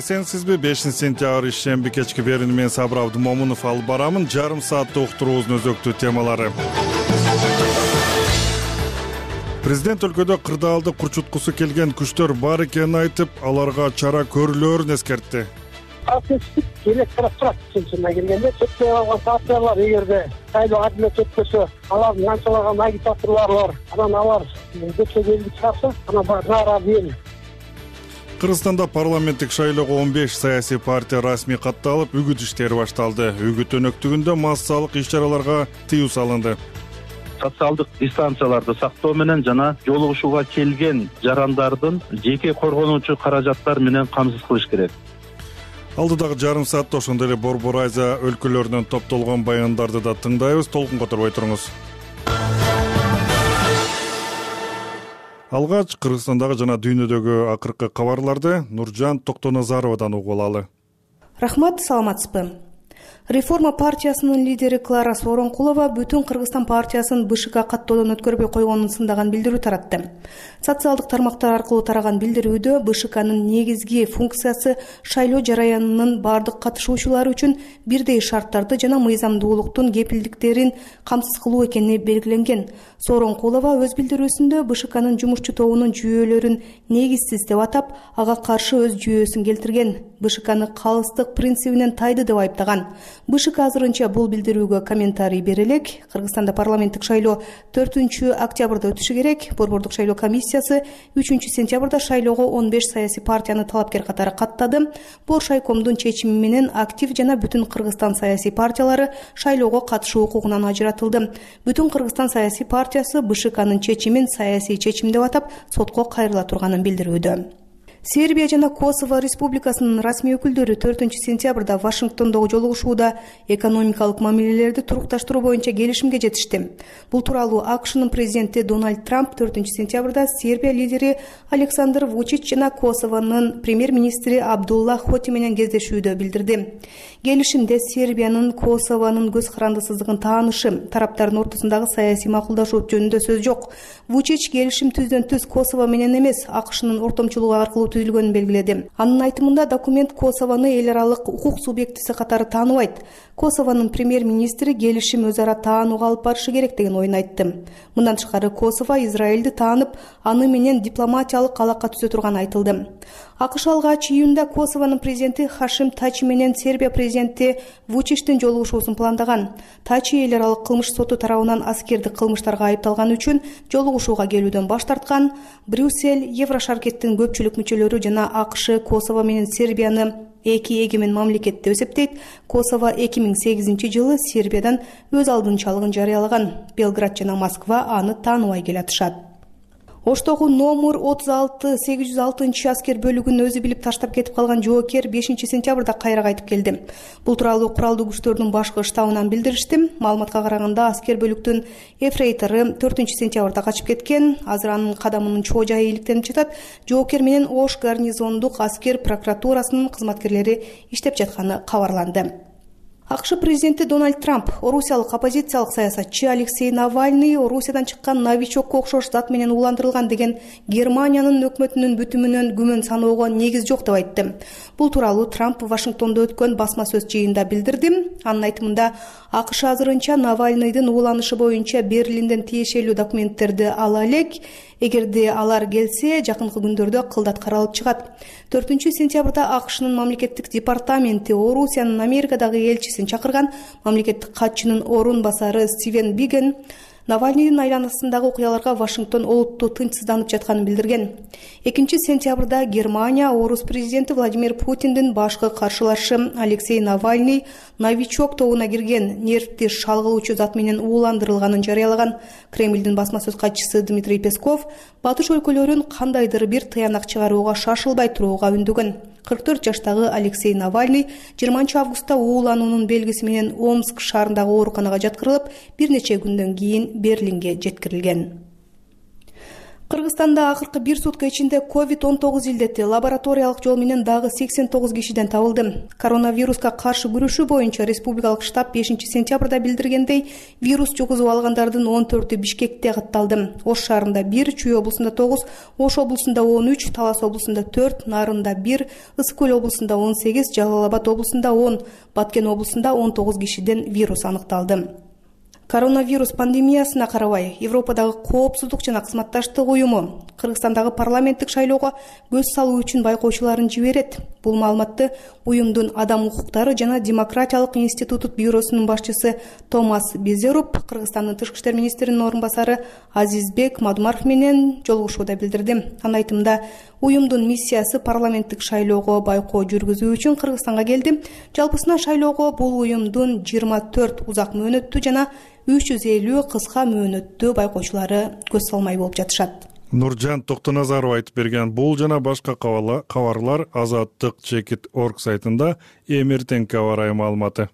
Эсенсизби? 5-сентябрь ишемби кечки берүүнү мен Сабыр Абдымомунов алып барамын. Жарым сааттык уктуруубуздун өзөктүү темалары. Президент өлкөдө кырдаалды курчуткусу келген күчтөр бар экенин айтып, аларга чара көрүлөөрүн эскертти. Процесстик керек турат чынына келгенде, чекте алган партиялар эгерде шайлоо адилет өтпөсө, алардын канчалаган агитаторлору бар, анан алар көчкө келип чыкса, анан нааразы эл. Кыргызстанда парламенттик шайлоого 15 саясий партия расмий катталып, үгүт иштери башталды. Үгүт өнөктүгүндө массалык иш-чараларга тыюу салынды. Социалдык дистанцияларды сактоо менен жана жолугушууга келген жарандардын жеке коргонуучу каражаттар менен камсыз кылыш керек. Алдыдагы жарым саатта ошондой эле Борбор Азия өлкөлөрүнөн топтолгон баяндарды да тыңдайбыз. Толкун которбой туруңуз. Алгач Кыргызстандагы жана дүйнөдөгү акыркы кабарларды Нуржан Токтоназаровадан угуп алалы. Рахмат, саламатсызбы? Реформа партиясынын лидери Клара Сооронкулова бүтүн Кыргызстан партиясын БШК каттоодон өткөрбөй койгонун сындаган билдирүү таратты. Социалдык тармактар аркылуу тараган билдирүүдө БШКнын негизги функциясы шайлоо жараянынын бардык катышуучулары үчүн бирдей шарттарды жана мыйзамдуулуктун кепилдиктерин камсыз кылуу экени белгиленген. Сооронкулова өз билдирүүсүндө БШКнын жумушчу тобунун жүйөлөрүн негизсиз деп атап, ага каршы өз жүйөсүн келтирген. БШКны калыстык принцибинен тайды деп айыптаган. БШК азырынча бул билдирүүгө комментарий бере элек. Кыргызстанда парламенттик шайлоо 4-октябрда өтүшү керек. Борбордук шайлоо комиссиясы 3-сентябрда шайлоого 15 саясий партияны талапкер катары каттады. Боршайкомдун чечими менен актив жана бүтүн Кыргызстан саясий партиялары шайлоого катышуу укугунан ажыратылды. Бүтүн Кыргызстан саясий партиясы БШКнын чечимин саясий чечим деп атап, сотко кайрыла турганын билдирүүдө. Сербия жана Косово республикасынын расмий өкүлдөрү 4-сентябрда Вашингтондогу жолугушууда экономикалык мамилелерди турукташтыруу боюнча келишимге жетишти. Бул тууралуу АКШнын президенти Дональд Трамп 4-сентябрда Сербия лидери Александр Вучич жана Косовонун премьер-министри Абдулла Хоти менен кездешүүдө билдирди. Келишимде Сербиянын Косовонун көз карандысыздыгын таанышы, тараптардын ортосундагы саясий макулдашуу жөнүндө сөз жок. Вучич келишим түздөн-түз Косово менен эмес, АКШнын ортомчулугу аркылуу түзүлгөнүн белгиледи. Анын айтымында документ Косовону эл аралык укук субъектиси катары тааныбайт. Косовонун премьер-министри келишим өз ара таанууга алып барышы керек деген оюн айтты. Мындан тышкары Косово Израилди таанып, аны менен дипломатиялык алака түзө турганы айтылды. АКШ алгач июнда Косовонун президенти Хашим Тачи менен Сербия президенти Вучичтин жолугушуусун пландаган. Тачи эл аралык кылмыш соту тарабынан аскердик кылмыштарга айыпталганы үчүн жолугушууга келүүдөн баш тарткан. Брюссель, Еврошаркеттин көпчүлүк мүчөлөрү жана АКШ Косово менен Сербияны эки эгемен мамлекет деп эсептейт. Косово 2008-жылы Сербиядан өз алдынчалыгын жарыялаган. Белград жана Москва аны тааныбай келатышат. Оштогу номер 36-806 аскер бөлүгүн өзү билип таштап кетип калган жоокер 5-сентябрда кайра кайтып келди. Бул тууралуу куралдуу күчтөрдүн башкы штабынан билдиришти. Маалыматка караганда аскер бөлүктүн эфрейтору 4-сентябрда качып кеткен. Азыр анын кадамынын чоо жайы иликтенип жатат. Жоокер менен Ош гарнизондук аскер прокуратурасынын кызматкерлери иштеп жатканы кабарланды. АКШ президенти Дональд Трамп орусиялык оппозициялык саясатчы Алексей Навальный Орусиядан чыккан новичокко окшош зат менен ууландырылган деген Германиянын өкмөтүнүн бүтүмүнөн күмөн саноого негиз жок деп айтты. Бул тууралуу Трамп Вашингтондо өткөн басма сөз жыйынында билдирди. Анын айтымында АКШ азырынча Навальныйдын ууланышы боюнча Берлинден тиешелүү документтерди ала элек. Эгерде алар келсе, жакынкы күндөрдө кылдат каралып чыгат. 4-сентябрда АКШнын мамлекеттик департаменти Орусиянын Америкадагы элчисин чакырган. Мамлекеттик катчынын орун басары Стивен Биген Навальныйдын айланасындагы окуяларга Вашингтон олуттуу тынчсызданып жатканын билдирген. 2-сентябрда Германия орус президенти Владимир Путиндин башкы каршылашы Алексей Навальный новичок тобуна кирген нервти шалгылуучу зат менен ууландырылганын жарыялаган. Кремлдин басма сөз катчысы Дмитрий Песков батыш өлкөлөрүн кандайдыр бир тыянак чыгарууга шашылбай турууга үндөгөн. 44 жаштагы Алексей Навальный 20 августта уулануунун белгиси менен Омск шаарындагы ооруканага жаткырылып, бир нече күндөн кийин Берлинге жеткирилген. Кыргызстанда акыркы бир сутка ичинде COVID-19 илдети лабораториялык жол менен дагы 89 кишиден табылды. Коронавируска каршы күрөшүү боюнча республикалык штаб 5-сентябрда билдиргендей, вирус жугузуп алгандардын 14-ü Бишкекте катталды. Ош шаарында 1, Чүй облусунда 9, Ош облусунда 13, Талас облусунда 4, Нарында 1, Ысык Көл облусунда 18, Жалал Абад облусунда 10, Баткен облусунда 19 кишиден вирус аныкталды. Коронавирус пандемиясына карабай, Европадагы коопсуздук жана кызматташтык уюму Кыргызстандагы парламенттик шайлоого көз салуу үчүн байкоочуларын жиберет. Бул маалыматты уюмдун Адам укуктары жана демократиялык институту бюросунун башчысы Томас Безеруп Кыргызстандын тышкы иштер министринин орун басары Азизбек Мадумаров менен жолугушууда билдирди. Анын айтымында, уюмдун миссиясы парламенттик шайлоого байкоо жүргүзүү үчүн Кыргызстанга келди. Жалпысынан шайлоого бул уюмдун 24 узак мөөнөттүү жана 350 кыска мөөнөттүү байкоочулары көз салмай болуп жатышат. Нуржан Токтоназаров айтып берген бул жана башка кабарлар Азаттык.org сайтында эмертең кабар маалыматы.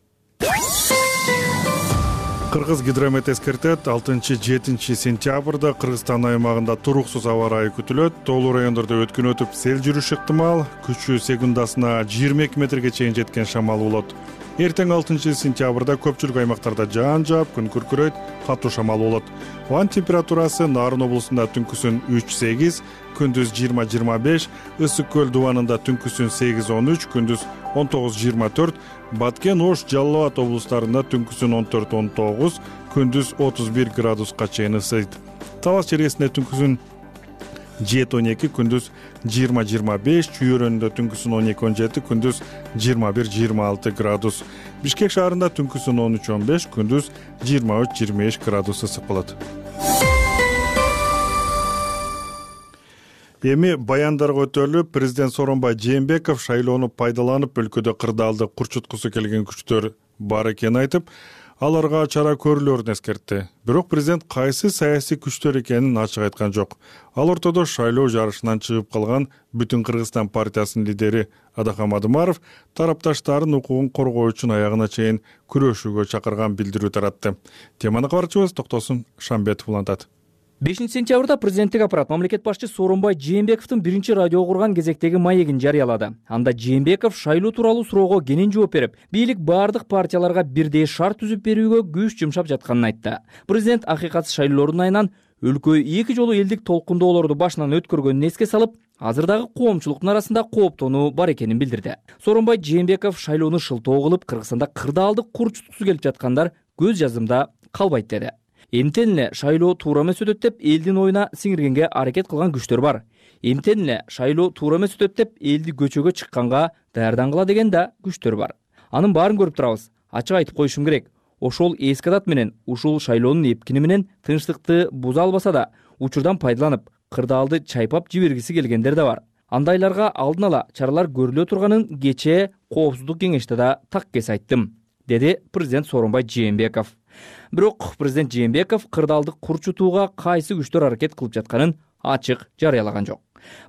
Кыргыз гидромет эскертет 6-7 сентябрда Кыргызстан аймагында туруксуз аба ырайы күтүлөт. Тоолуу райондордо өткөн өтүп сел жүрүшү ыктымал. Күчү секундасына 22 метрге чейин жеткен шамал болот. Эртең 6 сентябрда көпчүлүк аймактарда жаан жаап, күн күркүрөйт, катуу шамал болот. Ауа температурасы Нарын облусунда түнкүсүн 3-8, күндүз 20-25, Ысык Көл дубанында түнкүсүн 8-13, күндүз 19-24, Баткен, Ош, Жалал Абад облустарында түнкүсүн 14-19, күндүз 31 градуска чейин ысыйт. Талас чергесинде түнкүсүн 7-12, күндүз 20-25, Чүй өрөөнүндө түнкүсүн 12-17, күндүз 21-26 градус. Бишкек шаарында түнкүсүн 13-15, күндүз 23-25 градус ысык болот. Эми баяндарга өтөлүп, президент Сооронбай Жээнбеков шайлоону пайдаланып өлкөдө кырдаалды курчуткусу келген күчтөр бар экенин айтып, аларга чара көрүлөрүн эскертти. Бирок президент кайсы саясий күчтөр экенин ачык айткан жок. Ал ортодо шайлоо жарышынан чыгып калган Бүтүн Кыргызстан партиясынын лидери Адахам Мадумаров тарапташтарын укугун коргоо үчүн аягына чейин күрөшүүгө чакырган билдирүү таратты. Теманы кабарчыбыз Токтосун Шамбетов улантат. 5-сентябрда президенттик аппарат мамлекет башчысы Сооронбай Жээнбековдун биринчи радио курган кезектеги маегин жарыялады. Анда Жээнбеков шайлоо тууралуу суроого кенен жооп берип, бийлик бардык партияларга бирдей шарт түзүп берүүгө күч жумшап жатканын айтты. Президент акыйкатсыз шайлоолордун айынан өлкө 2 жолу элдик толкундоолорду башынан өткөргөнүн эске салып, азырдагы коомчулуктун арасында кооптонуу бар экенин билдирди. Сооронбай Жээнбеков шайлоону шылтоо кылып, Кыргызстанда кырдаалдык курчуткусу келип жаткандар көз жазымда калбайт деди. Эмтен эле шайлоо туура эмес өтөт деп элдин оюна сиңиргенге аракет кылган күчтөр бар. Эмтен эле шайлоо туура эмес өтөт деп элди көчөгө чыкканга даярдангыла деген да күчтөр бар. Анын баарын көрүп турабыз. Ачык айтып коюшум керек. Ошол эски адат менен ушул шайлоонун эпкини менен тынчтыкты буза албаса да, учурдан пайдаланып, кырдаалды чайпап жибергиси келгендер да бар. Андайларга алдын ала чаралар көрүлө турганын кечээ Коопсуздук кеңеште да таккес айттым, деди президент Сооронбай Жээнбеков. Бирок президент Жээнбеков кырдаалдык курчутууга кайсы күчтөр аракет кылып жатканын ачык жарыялаган жок.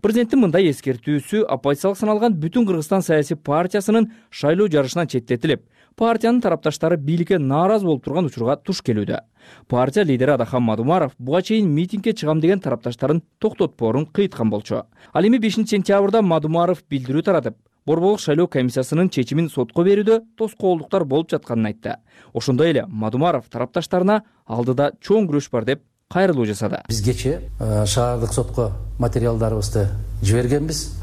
Президенттин мындай эскертүүсү оппозициялык саналган Бүтүн Кыргызстан саясий партиясынын шайлоо жарышынан четтетилип, партиянын тарапташтары бийликке нааразы болуп турган учурга туш келүүдө. Партия лидери Адахам Мадумаров буга чейин митингге чыгам деген тарапташтарын токтотпоорун кыйткан болчу. Ал эми 5-сентябрда Мадумаров билдирүү таратып, Борборлук шайлоо комиссиясынын чечимин сотко берүүдө тоскоолдуктар болуп жатканын айтты. Ошондой эле Мадумаров тарапташтарына алдыда чоң күрөш бар деп кайрылуу жасады. Биз кечээ шаардык сотко материалдарыбызды жибергенбиз.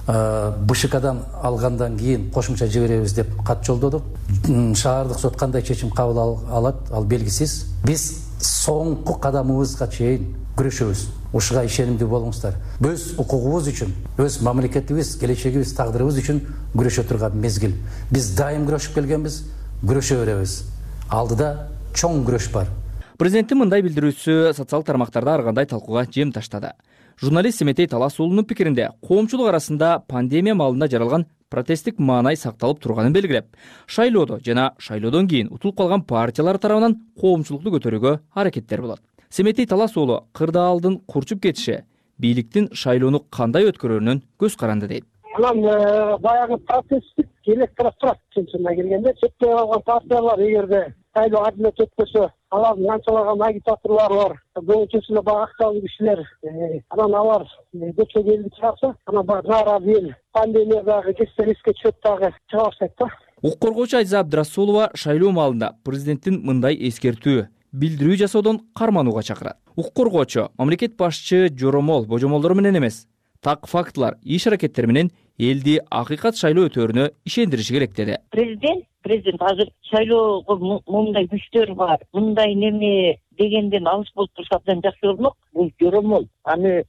БШКдан алгандан кийин кошумча жиберебиз деп кат жолдодук. Шаардык сот кандай чечим кабыл алат, ал белгисиз. Биз соңку кадамыбызга чейин күрөшөбүз. Ушуга ишенимдүү болуңуздар. Өз укугубуз үчүн, өз мамлекетибиз, келечегибиз, тагдырыбыз үчүн күрөшө турган мезгил. Биз дайым күрөшүп келгенбиз, күрөшө беребиз. Алдыда чоң күрөш бар. Президенттин мындай билдирүүсү социалдык тармактарда ар кандай талкууга жем таштады. Журналист Семетей Талас уулунун пикиринде, коомчулук арасында пандемия маалында жаралган протесттик маанай сакталып турганын белгилеп, шайлоодо жана шайлоодон кийин утулуп калган партиялар тарабынан коомчулукту көтөрүүгө аракеттер болот. Семетей Талас уулу кырдаалдын курчуп кетиши бийликтин шайлоону кандай өткөрөрүнөн көз каранды дейт. Анан баягы протесттик электорат турат чынына келгенде, четтен алган партиялар эгерде шайлоо адилет өткөсө, алардын канчалаган агитаторлору бар, көбүнчөсү эле баягы актуалдуу кишилер. Анан алар көчөгө элди чыгарса, анан баягы нааразы эл пандемиядагы кесиптер эске түшөт дагы чыга баштайт да. Укук коргоочу Айза Абдрасулова шайлоо маалында президенттин мындай эскертүү, билдирүү жасоодон карманууга чакырат. Укук коргоочу мамлекет башчы жоромол, божомолдору менен эмес, так фактылар, иш аракеттер менен элди акыйкат шайлоо өтөөрүнө ишендириши керек деди. Президент азыр шайлоого мындай күчтөр бар, мындай неме дегенден алыс болуп турса абдан жакшы болмок. Бул жоромол. Аны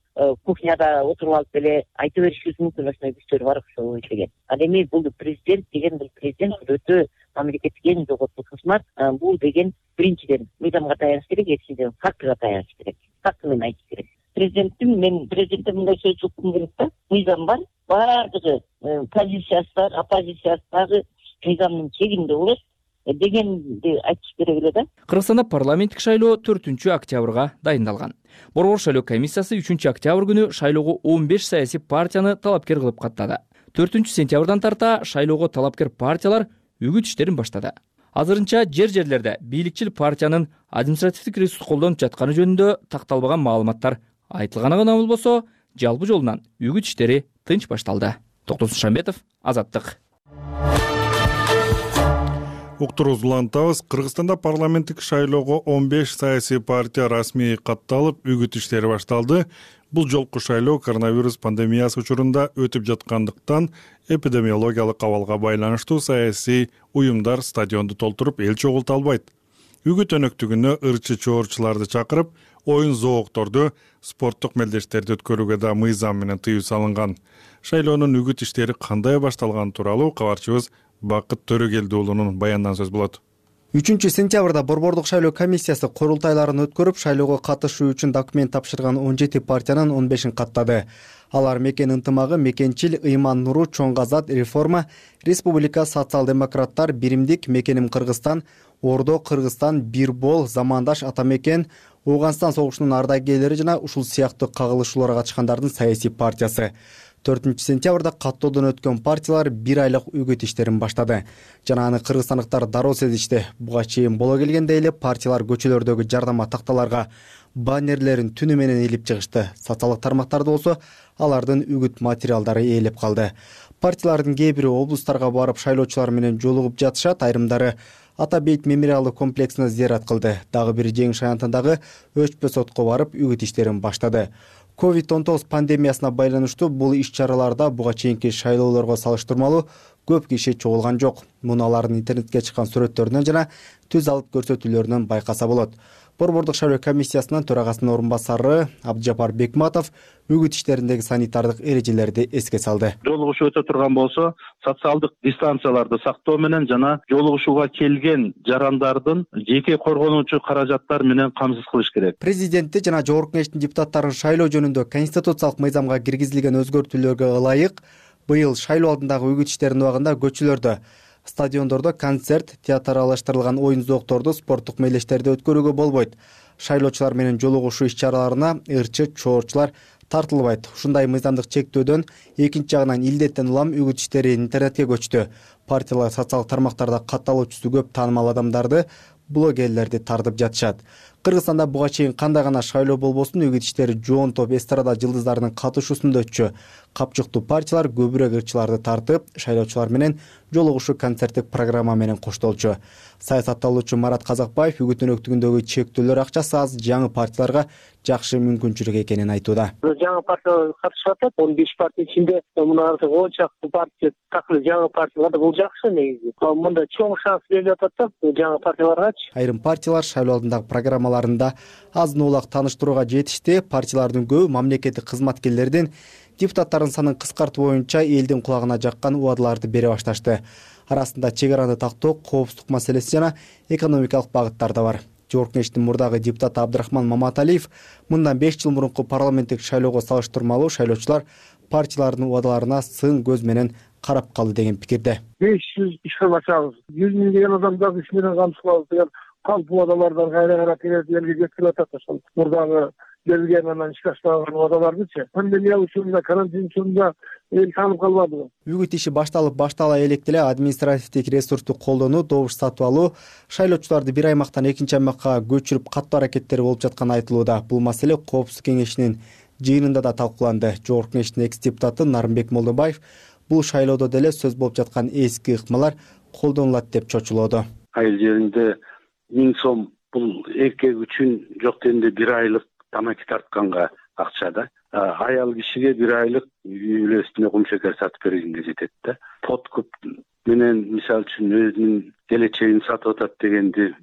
кухняда отуруп алып эле айта беришибиз мүмкүн, ошондой күчтөр бар ошол деген. Ал эми бул президент деген президент өтө мамлекеттик эң жогорку кызмат. Бул деген биринчиден мыйзамга таяныш керек, экинчиден фактыга таяныш керек. Факты менен айтыш керек. Мен президентте мындай сөз уккум керек да. Мыйзам бар, баардыгы позициясы бар, оппозициясы дагы мыйзамдын чегинде болот дегенди айтыш керек эле да. Кыргызстанда парламенттик шайлоо 4-октябрга дайындалган. Борбор шайлоо комиссиясы 3-октябрь күнү шайлоого 15 саясий партияны талапкер кылып каттады. 4-сентябрдан тарта шайлоого талапкер партиялар үгүт иштерин баштады. Азырынча жерлерде бийликчил партиянын административдик ресурс колдонуп жатканы жөнүндө такталбаган маалыматтар айтылганы гана болбосо, жалпы жолунан үгүт иштери тынч башталды. Токтосун Шамбетов, Азаттык. Уктурубузду улантабыз. Кыргызстанда парламенттик шайлоого 15 саясий партия расмий катталып, үгүт иштери башталды. Бул жолку шайлоо коронавирус пандемиясы учурунда өтүп жаткандыктан эпидемиологиялык абалга байланыштуу саясий уюмдар стадионду толтуруп эл чогулта албайт. Үгүт өнөктүгүнө ырчы чоорчуларды чакырып, оюн зоокторду, спорттук мелдештерди өткөрүүгө да мыйзам менен тыюу салынган. Шайлоонун үгүт иштери кандай башталганы тууралуу кабарчыбыз Бакыт Төрөгелди уулунун баянынан сөз болот. 3-сентябрда Борбордук шайлоо комиссиясы курултайларын өткөрүп, шайлоого катышуу үчүн документ тапшырган 17 партиянын 15-ин каттады. Алар Мекен ынтымагы, Мекенчил, Ыйман Нуру, Чоң Азат, Реформа, Республика социал-демократтар, Биримдик, Мекеним Кыргызстан, Ордо Кыргызстан, Бирбол, Замандаш, Атамекен, Ооганстан согушунун ардагерлери жана ушул сыяктуу кагылышууларга катышкандардын саясий партиясы. 4-сентябрда каттоодон өткөн партиялар 1 айлык үгүт иштерин баштады. Жана аны кыргызстандыктар дароо сезишти. Буга чейин боло келгенде эле партиялар көчөлөрдөгү жардама такталарга баннерлерин түнү менен илип чыгышты. Социалдык тармактарда болсо алардын үгүт материалдары ээлеп калды. Партиялардын кээ бири облустарга барып шайлоочулар менен жолугуп жатышат, айрымдары Ата Бейт мемориалдык комплексине зыярат кылды. Дагы бир Жеңиш аянтындагы Өчпө сотко барып үгүт иштерин баштады. COVID-19 пандемиясына байланыштуу бул иш-чараларда буга чейинки шайлоолорго салыштырмалуу көп киши чогулган жок. Муну алардын интернетке чыккан сүрөттөрүнөн жана түз алып көрсөтүүлөрүнөн байкаса болот. Борбордук шайлоо комиссиясынын төрагасынын орун басары Абдыжапар Бекматов үгүт иштериндеги санитардык эрежелерди эске салды. Жолугушуу өтө турган болсо, социалдык дистанцияларды сактоо менен жана жолугушууга келген жарандардын жеке коргонуучу каражаттар менен камсыз кылыш керек. Президентти жана жогорку кеңештин депутаттарын шайлоо жөнүндө конституциялык мыйзамга киргизилген өзгөртүүлөргө ылайык быйыл шайлоо алдындагы үгүт иштеринин убагында көчөлөрдө, стадиондордо концерт, театралаштырылган оюн зоокторду, спорттук мелдештерди өткөрүүгө болбойт. Шайлоочулар менен жолугушуу иш-чараларына ырчы чоорчулар тартылбайт. Ушундай мыйзамдык чектөөдөн экинчи жагынан илдеттен улам үгүт иштери интернетке көчтү. Партиялар социалдык тармактарда катталуучусу көп таанымал адамдарды, блогерлерди тартып жатышат. Кыргызстанда буга чейин кандай гана шайлоо болбосун үгүт иштери жоон топ эстрада жылдыздарынын катышуусунда өтчү. Капчыктуу партиялар көбүрөөк ырчыларды тартып, шайлоочулар менен жолугушуу концерттик программа менен коштолчу. Саясатталуучу Марат Казакбаев үгүт өнөктүгүндөгү чектөөлөр акчасы аз жаңы партияларга жакшы мүмкүнчүлүк экенин айтууда. Жаңы партиялар катышып атат. 15 партия ичинде мына артык 10 чакты партия такыр жаңы партиялар бул жакшы негизи. Мында чоң шанс берип атат да жаңы партияларгачы. Айрым партиялар шайлоо алдындагы программаларында азын улак тааныштырууга жетишти. Партиялардын көбү мамлекеттик кызматкерлердин депутаттардын санын кыскартуу боюнча элдин кулагына жаккан убадаларды бере башташты. Арасында чек араны тактоо, коопсуздук маселеси жана экономикалык багыттар да бар. Жогорку кеңештин мурдагы депутаты Абдрахман Маматалиев мындан 5 жыл мурунку парламенттик шайлоого салыштырмалуу шайлоочулар партиялардын убадаларына сын көз менен карап калды деген пикирде. 500 ишкер башабыз, 100 миң деген адамдарды иш менен камсыз кылабыз деген калп убадалардан кайра келет элге жеткирип атат. Ошол мурдагы берилген анан ишке ашпаган убадалардычы пандемия учурунда, карантин учурунда эл таанып калбадыбы? Үгүт иши баштала электе эле административдик ресурсту колдонуу, добуш сатып алуу, шайлоочуларды бир аймактан экинчи аймакка көчүрүп каттуу аракеттери болуп жатканы айтылууда. Бул маселе Коопсуздук кеңешинин жыйынында да талкууланды. Жогорку кеңештин экс-депутаты Нарымбек Молдобаев бул шайлоодо деле сөз болуп жаткан эски ыкмалар колдонулат деп чочулооду. Айыл жеринде 1000 сом бул эркек үчүн жок дегенде 1 айлык тамаки тартканга акча да. Аял кишиге 1 айлык үй бүлөсүнө кумшекер сатып бергенге жетет да. Подкуп менен мисалы үчүн өзүнүн келечегин сатып атат дегенди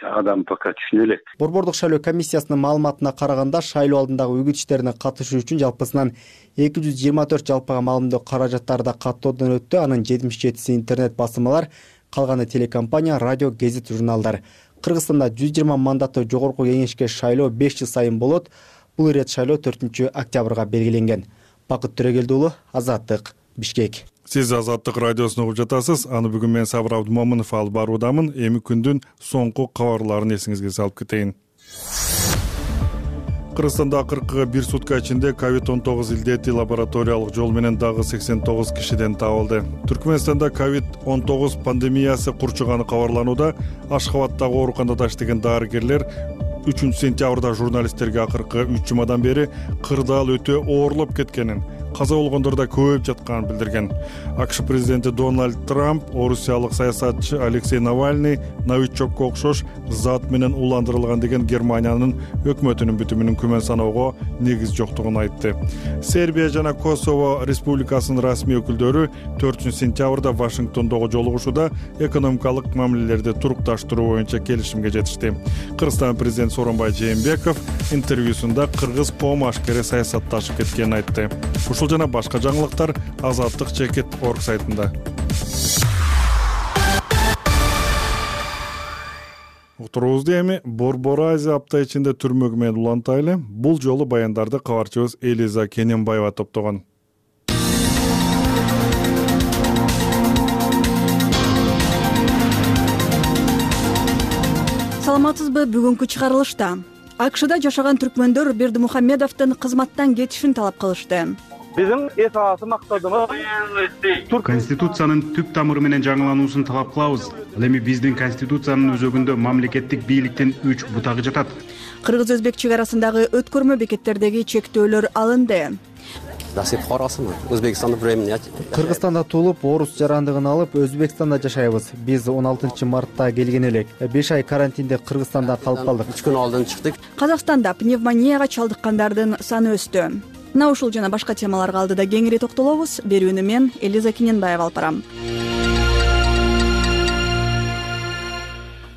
адам пока түшүнө элек. Борбордук шайлоо комиссиясынын маалыматына караганда шайлоо алдындагы үгүт иштерине катышуу үчүн жалпысынан 224 жалпыга маалымдоо каражаттары да каттоодон өттү. Анын 77си интернет басылмалар, калганы телекомпания, радио, гезит, журналдар. Кыргызстанда 120 мандаттуу жогорку кеңешке шайлоо 5 жыл сайын болот. Бул ирет шайлоо 4 октябрга белгиленген. Бакыт Төрөгелди уулу, Азаттык, Бишкек. Сиз Азаттык радиосун угуп жатасыз. Аны бүгүн мен Сабыр Абдумомунов алып баруудамын. Эми күндүн соңку кабарларын эсиңизге салып кетейин. Кыргызстанда акыркы 1 сутка ичинде COVID-19 илдети лабораториялык жол менен дагы 89 кишиден табылды. Түркмөнстанда COVID-19 пандемиясы курчуганы кабарланууда. Ашхабаддагы ооруканада иштеген дарыгерлер 3 сентябрда журналисттерге акыркы 3 жумадан бери кырдаал өтө оорлоп кеткенин, каза болгондор да көбөйүп жатканын билдирген. АКШ президенти Дональд Трамп орусиялык саясатчы Алексей Навальный новичокко окшош зат менен уландырылган деген Германиянын өкмөтүнүн бүтүмүнүн күмөн саноого негиз жоктугун айтты. Сербия жана Косово республикасынын расмий өкүлдөрү 4 сентябрда Вашингтондогу жолугушууда экономикалык мамилелерди турукташтыруу боюнча келишимге жетишти. Кыргызстан президенти Сооронбай Жээнбеков интервьюсунда кыргыз коом ашкере саясатташып кеткенин айтты. Ушул жана башка жаңылыктар Азаттык.org сайтында. Уктуруубузду эми Борбор Азия апта ичинде түрмөгү менен улантайлы. Бул жолу баяндарды кабарчыбыз Элиза Кененбаева топтогон. Саламатсызбы? Бүгүнкү чыгарылышта АКШда жашаган түркмөндөр Бердимухамедовдун кызматтан кетишин талап кылышты. Биздин эс аласы максатыбыз Конституциянын түп тамыры менен жаңылануусун талап кылабыз. Ал эми биздин Конституциянын өзөгүндө мамлекеттик бийликтин 3 бутагы жатат. Кыргыз-өзбек чегарасындагы өткөрмө бекеттердеги чектөөлөр алынды. Насип карасымы? Өзбекстанда времени. Кыргызстанда туулуп, орус жарандыгын алып, Өзбекстанда жашайбыз. Биз 16-мартта келген элек. 5 ай карантинде Кыргызстанда калып калдык. 3 күн алдын чыктык. Казакстанда пневмонияга чалдыккандардын саны өстү. Мына ушул жана башка темаларга алдыда кеңири токтолобуз. Берүүнү мен Элиза Кененбаева алып барам.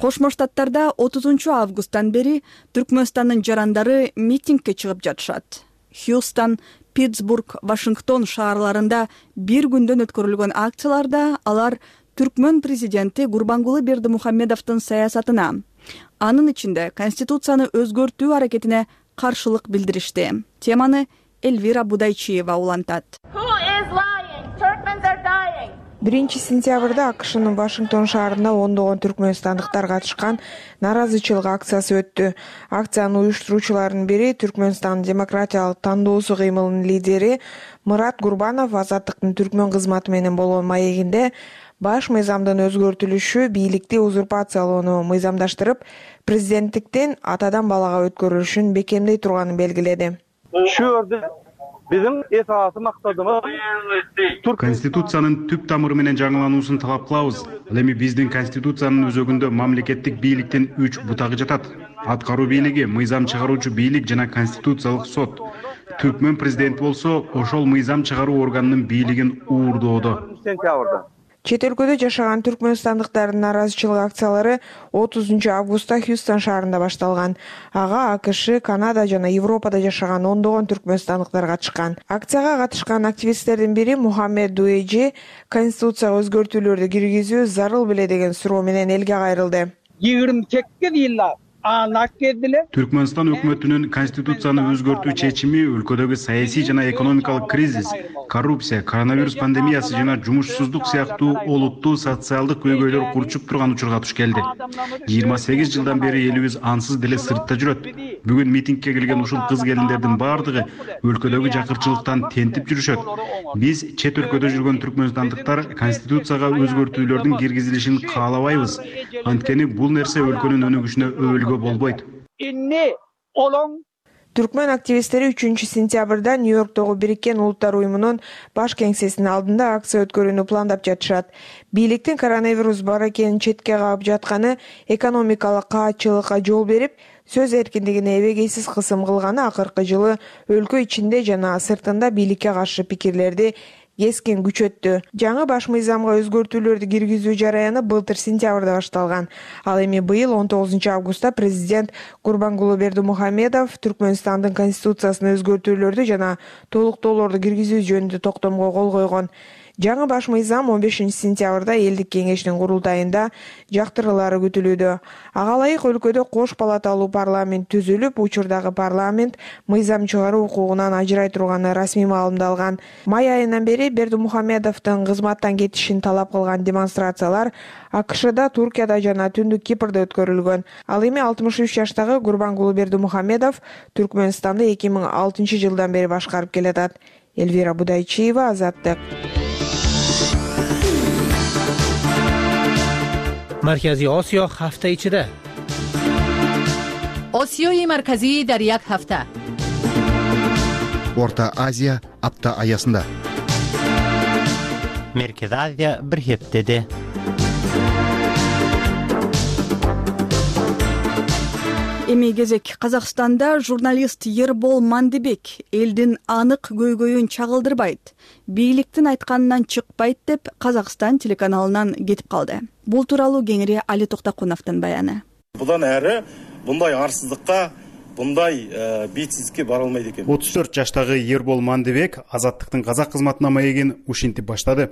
Кошмо Штаттарда 30 августтан бери Түркмөнстандын жарандары митингге чыгып жатышат. Хьюстон, Питтсбург, Вашингтон шаарларында бир күндөн өткөрүлгөн акцияларда алар түркмөн президенти Гурбангулы Бердимухамедовдун саясатына, анын ичинде Конституцияны өзгөртүү аракетине каршылык билдиришти. Теманы Эльвира Будайчиева улантат. 1 сентябрда АКШнын Вашингтон шаарында ондогон түркмөнстандыктар катышкан наразычылык акциясы өттү. Акциянын уюштуруучуларынын бири Түркмөнстан демократиялык тандоосу кыймылынын лидери Мурат Гурбанов Азаттыктын түркмөн кызматы менен болгон маегинде баш мыйзамдын өзгөртүлүшү бийликти узурпациялоону мыйзамдаштырып, президенттиктен атадан балага өткөрүлүшүн бекемдей турганын белгиледи. Шүрдү биздин эс аласы максатыбыз Конституциянын түп тамыры менен жаңылануусун талап кылабыз. Ал эми биздин Конституциянын өзөгүндө мамлекеттик бийликтин 3 бутагы жатат. Аткаруу бийлиги, мыйзам чыгаруучу бийлик жана конституциялык сот. Түркмөн президенти болсо ошол мыйзам чыгаруу органынын бийлигин уурдоодо. Чет өлкөдө жашаган түркмөнстандыктардын наразычылык акциялары 30 августта Хьюстон шаарында башталган. Ага АКШ, Канада жана Европада жашаган ондогон түркмөнстандыктар катышкан. Акцияга катышкан активисттердин бири Мухаммед Дуэжи конституцияга өзгөртүүлөрдү киргизүү зарыл беле деген суроо менен элге кайрылды. 28 yıllar Түркмөнстан өкмөтүнүн конституцияны өзгөртүү чечими өлкөдөгү саясий жана экономикалык кризис, коррупция, коронавирус пандемиясы жана жумушсуздук сыяктуу олуттуу социалдык көйгөйлөр курчуп турган учурга туш келди. 28 жылдан бери элибиз ансыз деле сыртта жүрөт. Бүгүн митингге келген ушул кыз-келиндердин баардыгы өлкөдөгү жакырчылыктан тентип жүрүшөт. Биз чет өлкөдө жүргөн түркмөнстандыктар конституцияга өзгөртүүлөрдүн киргизилишин каалабайбыз. Анткени бул нерсе өлкөнүн өнүгүшүнө өбөлгө болбойт. Түркмөн активисттери 3-сентябрда Нью-Йорктогу Бириккен Улуттар уюмунун баш кеңсесинин алдында акция өткөрүүнү пландап жатышат. Бийликтин коронавирус бар экенин четке каап жатканы, экономикалык каатчылыкка жол берип, сөз эркиндигине эбегейсиз кысым кылганы акыркы жылы өлкө ичинде жана сыртында бийликке каршы пикирлерди кескин күчөттү. Жаңы баш мыйзамга өзгөртүүлөрдү киргизүү жараяны былтыр сентябрда башталган. Ал эми быйыл 19-августта президент Гурбангулы Бердимухамедов Түркмөнстандын конституциясына өзгөртүүлөрдү жана толуктоолорду киргизүү жөнүндө токтомго кол койгон. Жаңы баш мыйзам 15-сентябрда элдик кеңештин курултайында жактырылары күтүлүүдө. Ага ылайык өлкөдө кош палаталуу парламент түзүлүп, учурдагы парламент мыйзам чыгаруу укугунан ажырай турганы расмий маалымдалган. Май айынан бери Бердимухамедовдун кызматтан кетишин талап кылган демонстрациялар АКШда, Туркияда жана Түндүк Кипрде өткөрүлгөн. Ал эми 63 жаштагы Гурбангулы Бердимухамедов Түркмөнстанды 2006 жылдан бери башкарып келатат. Элвира Будайчиева, Азаттык. Маркази Осиё ҳафта ичида. Осиёи марказӣ дар як ҳафта. Орта Азия апта аясында. Меркези Азия бир ҳептеде. Эми кезек Казакстанда журналист Ербол Мандыбек элдин анык көйгөйүн чагылдырбайт, бийликтин айтканынан чыкпайт деп Казакстан телеканалынан кетип калды. Бул тууралуу кеңири Али Токтокуновдун баяны. Будан әрі bunday арсыздыкка, bunday бетсиздикке бара албайт экен. 34 жаштагы Ербол Мандыбек Азаттыктын казак кызматына маегин ушинтип баштады.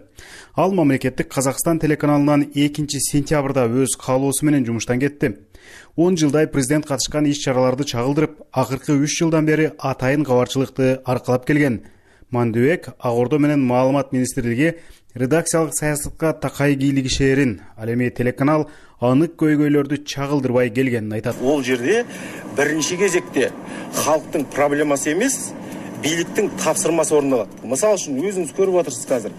Ал мамлекеттик Казакстан телеканалынан 2-сентябрда өз каалоосу менен жумуштан кетти. 10 жылдай президент катышкан иш-чараларды чагылдырып, акыркы 3 жылдан бери атайын кабарчылыкты аркалап келген. Мандыбек Ак Ордо менен Маалымат министрлиги редакциялык саясатка такай кийлигишээрин, ал эми телеканал анык көйгөйлөрдү чагылдырбай келгенин айтат. Ол жерде биринчи кезекте халктын проблемасы эмес, бийликтин тапсырмасы орундалат. Мисалы үчүн өзүңүз көрүп атырсыз азыр.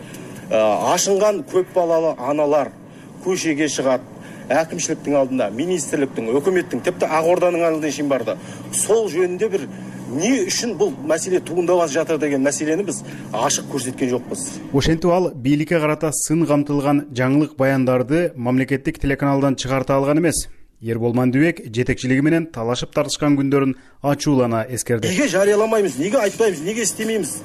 Ашынган көп балалы аналар көшеге чыгат. Әкимшіліктің алдында, министрліктің, өкіметтің, тіпті Ак Орданын алдында шейін барды. Сол жөнінде бір не үшін бұл мәселе туындап жатыр деген мәселені біз ашық көрсеткен жоқпыз. Ошентип ал бийликке карата сын камтылган жаңылык баяндарды мамлекеттик телеканалдан чыгарта алган эмес. Ербол Мандыбек жетекчилиги менен талашып тартышкан күндөрүн ачуулана эскерди. Неге жарыяламайбыз, неге айтпайбыз, неге истемейбиз?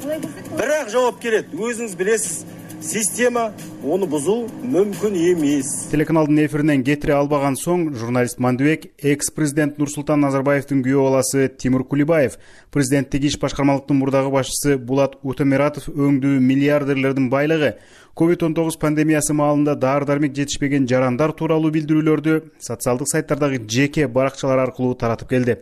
Бирок жооп келет. Өзүңүз билесиз. Система оны бузуу мүмкүн эмес. Телеканалдын эфиринен кетире албаган соң журналист Мандыбек экс-президент Нурсултан Назарбаевдин күйөө баласы Тимур Кулибаев, президенттик иш башкармалыктын мурдагы башчысы Булат Утемиратов өңдүү миллиардерлердин байлыгы, COVID-19 пандемиясы маалында дары-дармек жетишпеген жарандар тууралуу билдирүүлөрдү социалдык сайттардагы жеке баракчалар аркылуу таратып келди.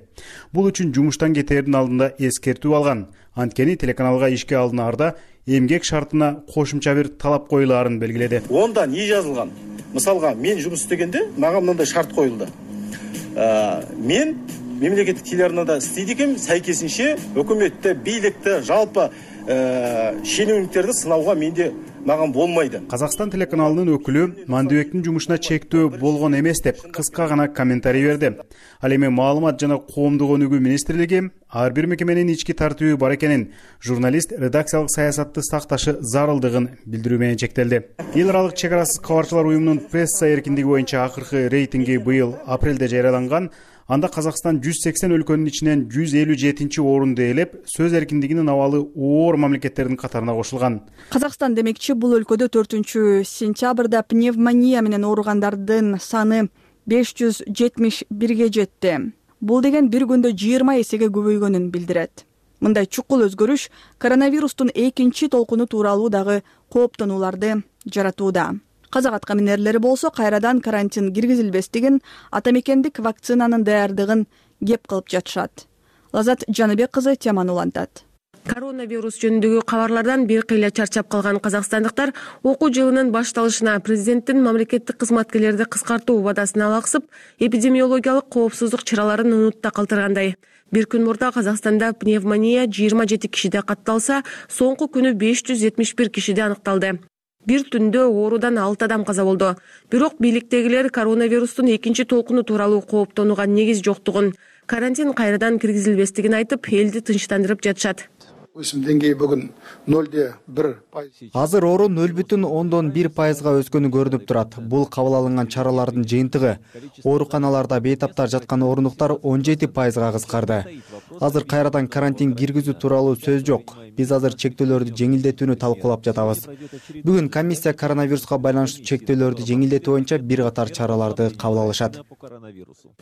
Бул үчүн жумуштан кетээрдин алдында эскертүү алган. Анткени телеканалга ишке алынаарда эмгек шартына кошумча бир талап коюлаарын белгиледи. Онда не жазылган? Мисалга, мен жумуш истегенде мага мындай шарт коюлду. Мен мемлекеттик телеарнада иштейт экенмин, сайкесинче өкмөттө, бийликте, жалпы шенеуниктерди сынауга менде маган болмайды. Казакстан телеканалынын өкүлү Мандыбектин жумушуна чектөө болгон эмес деп кыска гана комментарий берди. Ал эми Маалымат жана коомдук өнүгүү министрлиги ар бир мекеменин ички тартиби бар экенин, журналист редакциялык саясатты сакташы зарылдыгын билдирүү менен чектелди. Эл аралык чек арасыз кабарчылар уюмунун пресса эркиндиги боюнча акыркы рейтинги быйыл апрелде жарыяланган. Анда Казакстан 180 өлкөнүн ичинен 157-чи орунду ээлеп, сөз эркиндигинин абалы оор мамлекеттердин катарына кошулган. Казакстан демекчи бул өлкөдө 4-сентябрда пневмония менен ооругандардын саны 571ге жетти. Бул деген бир күндө 20 эсеге көбөйгөнүн билдирет. Мындай чукул өзгөрүш коронавирустун экинчи толкуну тууралуу дагы кооптонууларды жаратууда. Казак аткаминерлери болсо кайрадан карантин киргизилбестигин, атамекендик вакцинанын даярдыгын кеп кылып жатышат. Лазат Жаныбек кызы теманы улантат. Коронавирус жөнүндөгү кабарлардан бир кыйла чарчап калган казакстандыктар окуу жылынын башталышына президенттин мамлекеттик кызматкерлерди кыскартуу убадасына алаксып, эпидемиологиялык коопсуздук чараларын унутта калтыргандай. Бир күн мурда Казакстанда пневмония 27 кишиде катталса, соңку күнү 571 кишиде аныкталды. Бир түндө оорудан 6 адам каза болду. Бирок бийликтегилер коронавирустун экинчи толкуну тууралуу кооптонууга негиз жоктугун, карантин кайрадан киргизилбестигин айтып, элди тынчтандырып жатышат. Өсүм деңгээи бүгүн 0,1%. Азыр оору 0,1%га өскөнү көрүнүп турат. Бул кабыл алынган чаралардын жыйынтыгы. Ооруканаларда бейтаптар жаткан орундуктар 17%га кыскарды. Азыр кайрадан карантин киргизүү тууралуу сөз жок. Биз азыр чектөөлөрдү жеңилдетүүнү талкуулап жатабыз. Бүгүн комиссия коронавируска байланыштуу чектөөлөрдү жеңилдетүү боюнча бир катар чараларды кабыл алышат.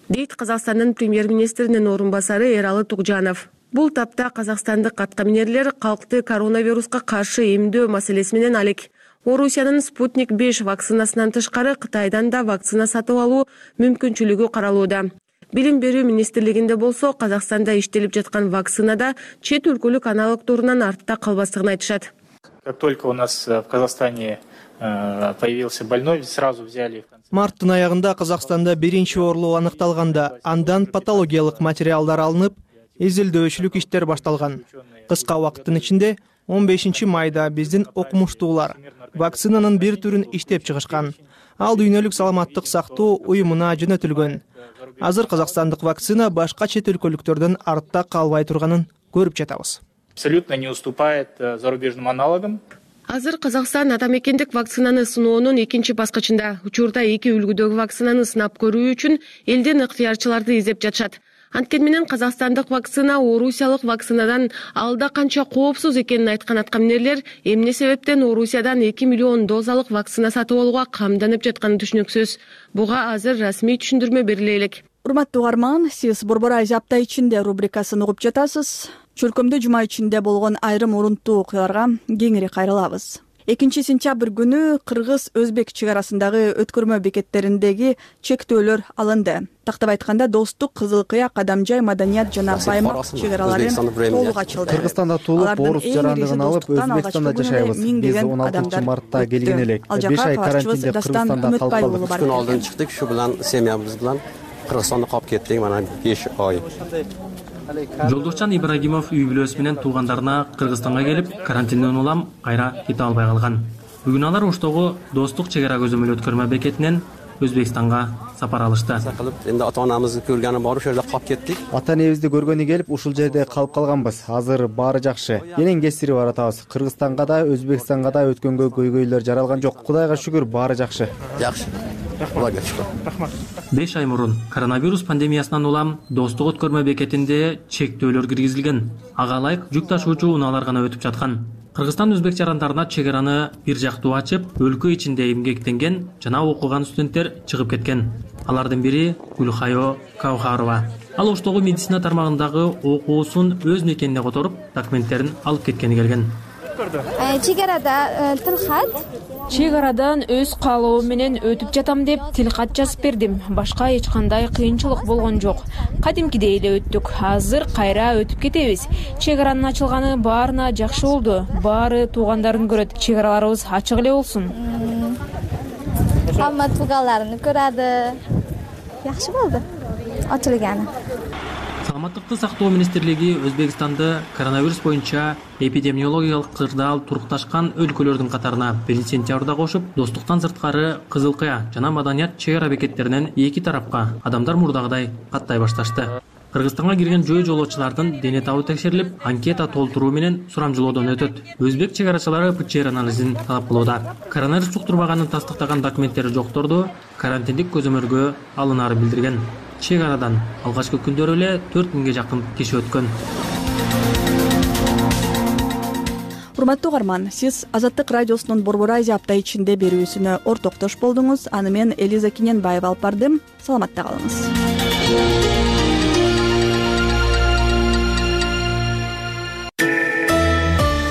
Дейт Казакстандын премьер-министринин орун басары Эралы Тугжанов. Бул тапта казакстандык аткаминерлер калкты коронавируска каршы эмдөө маселеси менен алек. Орусиянын Спутник 5 вакцинасынан тышкары Кытайдан да вакцина сатып алуу мүмкүнчүлүгү каралууда. Билим берүү министрлигинде болсо, Казакстанда иштелип жаткан вакцинада чет өлкөлүк аналогдорунан артта калбастыгын айтышат. Как только у нас в Казахстане появился больной, сразу взяли. Марттын аягында Казакстанда биринчи оорулуу аныкталганда, андан патологиялык материалдар алынып, изилдөөчүлүк иштер башталган. Кыска убакыттын ичинде 15 майда биздин окумуштуулар вакцинанын бир түрүн иштеп чыгышкан. Ал дүйнөлүк саламаттык сактоо уюмуна жөнөтүлгөн. Азыр казакстандык вакцина башка чет өлкөлүктөрдөн артта калбай турганын көрүп жатабыз. Абсолютно не уступает зарубежным аналогам. Азыр Казакстан атамекендик вакцинаны сыноонун экинчи баскычында. Учурда 2 үлгүдөгү вакцинаны сынап көрүү үчүн элден ыктыярчыларды издеп жатышат. Анткени менен казакстандык вакцина орусиялык вакцинадан алда канча коопсуз экенин айткан аткаминерлер эмне себептен Орусиядан 2 миллион дозалык вакцина сатып алууга камданып жатканы түшүнүксүз. Буга азыр расмий түшүндүрмө бериле элек. Урматтуу угарман, сиз Борбор Азия апта ичинде рубрикасын угуп жатасыз. Чөлкөмдө жума ичинде болгон айрым урунттуу окуяларга кеңири кайрылабыз. 2 сентябрь күнү Кыргыз-Өзбек чек арасындагы өткөрмө бекеттериндеги чектөөлөр алынды. Тактап айтканда, Достук, Кызыл Кыя, Кадамжай, Маданият жана Баймак чек аралары толук ачылды. Кыргызстанда туулуп, орус жарандыгын алып, Өзбекстанда жашайбыз. Биз 16 мартта келген элек. 5 ай карантинде Кыргызстанда калып калдык. 3 күн алдын чыктык, ушу менен семьябыз менен Кыргызстанда калып кеттик, мана 5 ай. Жолдошчан Ибрагимов үй бүлөсү менен туугандарына Кыргызстанга келип, карантинден улам кайра кете албай калган. Бүгүн алар Оштогу Достук чек ара көзөмөл өткөрмө бекетинен Өзбекстанга сапар алышты. Энди ата-анамызды көргөнү бар, ошол жерде калып кеттик. Ата-энебизди көргөнү келип, ушул жерде калып калганбыз. Азыр баары жакшы. Энең кесири баратабыз. Кыргызстанга да, Өзбекстанга да өткөнгө көйгөйлөр жаралган жок. Кудайга шүгүр, баары жакшы. Жакшы. Рахмат. 5 ай мурун коронавирус пандемиясынан улам Достук өткөрмө бекетинде чектөөлөр киргизилген. Ага ылайык жүк ташуучу унаалар гана өтүп жаткан. Кыргызстан өзбек жарандарына чек араны бир жактуу ачып, өлкө ичинде эмгектенген жана окуган студенттер чыгып кеткен. Алардын бири Гүлхайо Каухарова. Ал Оштогу медицина тармагындагы окуусун өз мекенине которуп, документтерин алып кеткени келген. Чек арада тилхат. Чек арадан өз каалоом менен өтүп жатам деп тилхат жазып бердим. Башка эч кандай кыйынчылык болгон жок. Кадимкидей эле өттүк. Азыр кайра өтүп кетебиз. Чек аранын ачылганы баарына жакшы болду. Баары туугандарын көрөт. Чек араларыбыз ачык эле болсун. Хамма тууганларын көрөдү. Жакшы болду. Ачылганы. Саламаттыкты сактоо министрлиги Өзбекстанды коронавирус боюнча эпидемиологиялык кырдаал турукташкан өлкөлөрдүн катарына 1 сентябрда кошуп, Достуктан сырткары Кызыл Кыя жана Маданият чек ара бекеттеринен эки тарапка адамдар мурдагыдай каттай башташты. Кыргызстанга кирген жөө жолоочулардын дене табы текшерилип, анкета толтуруу менен сурамжылоодон өтөт. Өзбек чек арачылары ПЧР анализин талап кылууда. Коронавирус жуктурбаганын тастыктаган документтери жокторду карантиндик көзөмөлгө алынаары билдирген. Чек арадан алгачкы күндөрү эле 4000ге жакын киши өткөн. Урматтуу угарман, сиз Азаттык радиосунун Борбор Азия апта ичинде берүүсүнө ортоктош болдуңуз. Аны мен Элиза Киненбаева алып бардым. Саламатта калыңыз.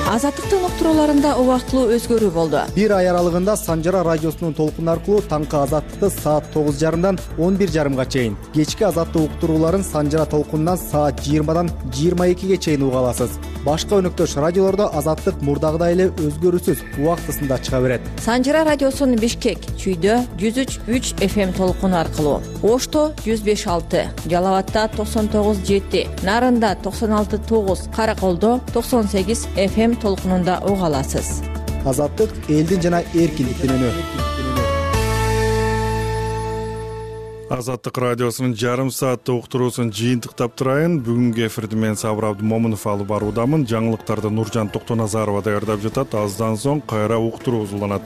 Азаттык азаттыктын уктурууларында убактылуу өзгөрүү болду. Бир ай аралыгында Санжара радиосунун толкуну аркылуу таңкы азаттыкты саат 9:30 11:30 чейин, кечки азаттык уктурууларын Санжара толкунунан саат 20 22 чейин уга аласыз. Башка өнөктөш радиолордо азаттык мурдагыдай эле өзгөрүүсүз убактысында чыга берет. Санжара радиосунун Бишкек, Чүйдө 103.3 FM толкуну аркылуу, Ошто 105.6, Жалал абадта 99.7, Нарында 96.9, Караколдо 98 FM толкунунда уга аласыз. Азаттык элдин жана эркиндиктин үнү. Азаттык радиосунун жарым сааттык уктуруусун жыйынтыктап турайын. Бүгүнкү эфирди мен Сабыр Абдымомунов алып баруудамын. Жаңылыктарды Нуржан Токтоназарова даярдап жатат. Аздан соң кайра уктуруу узулданат.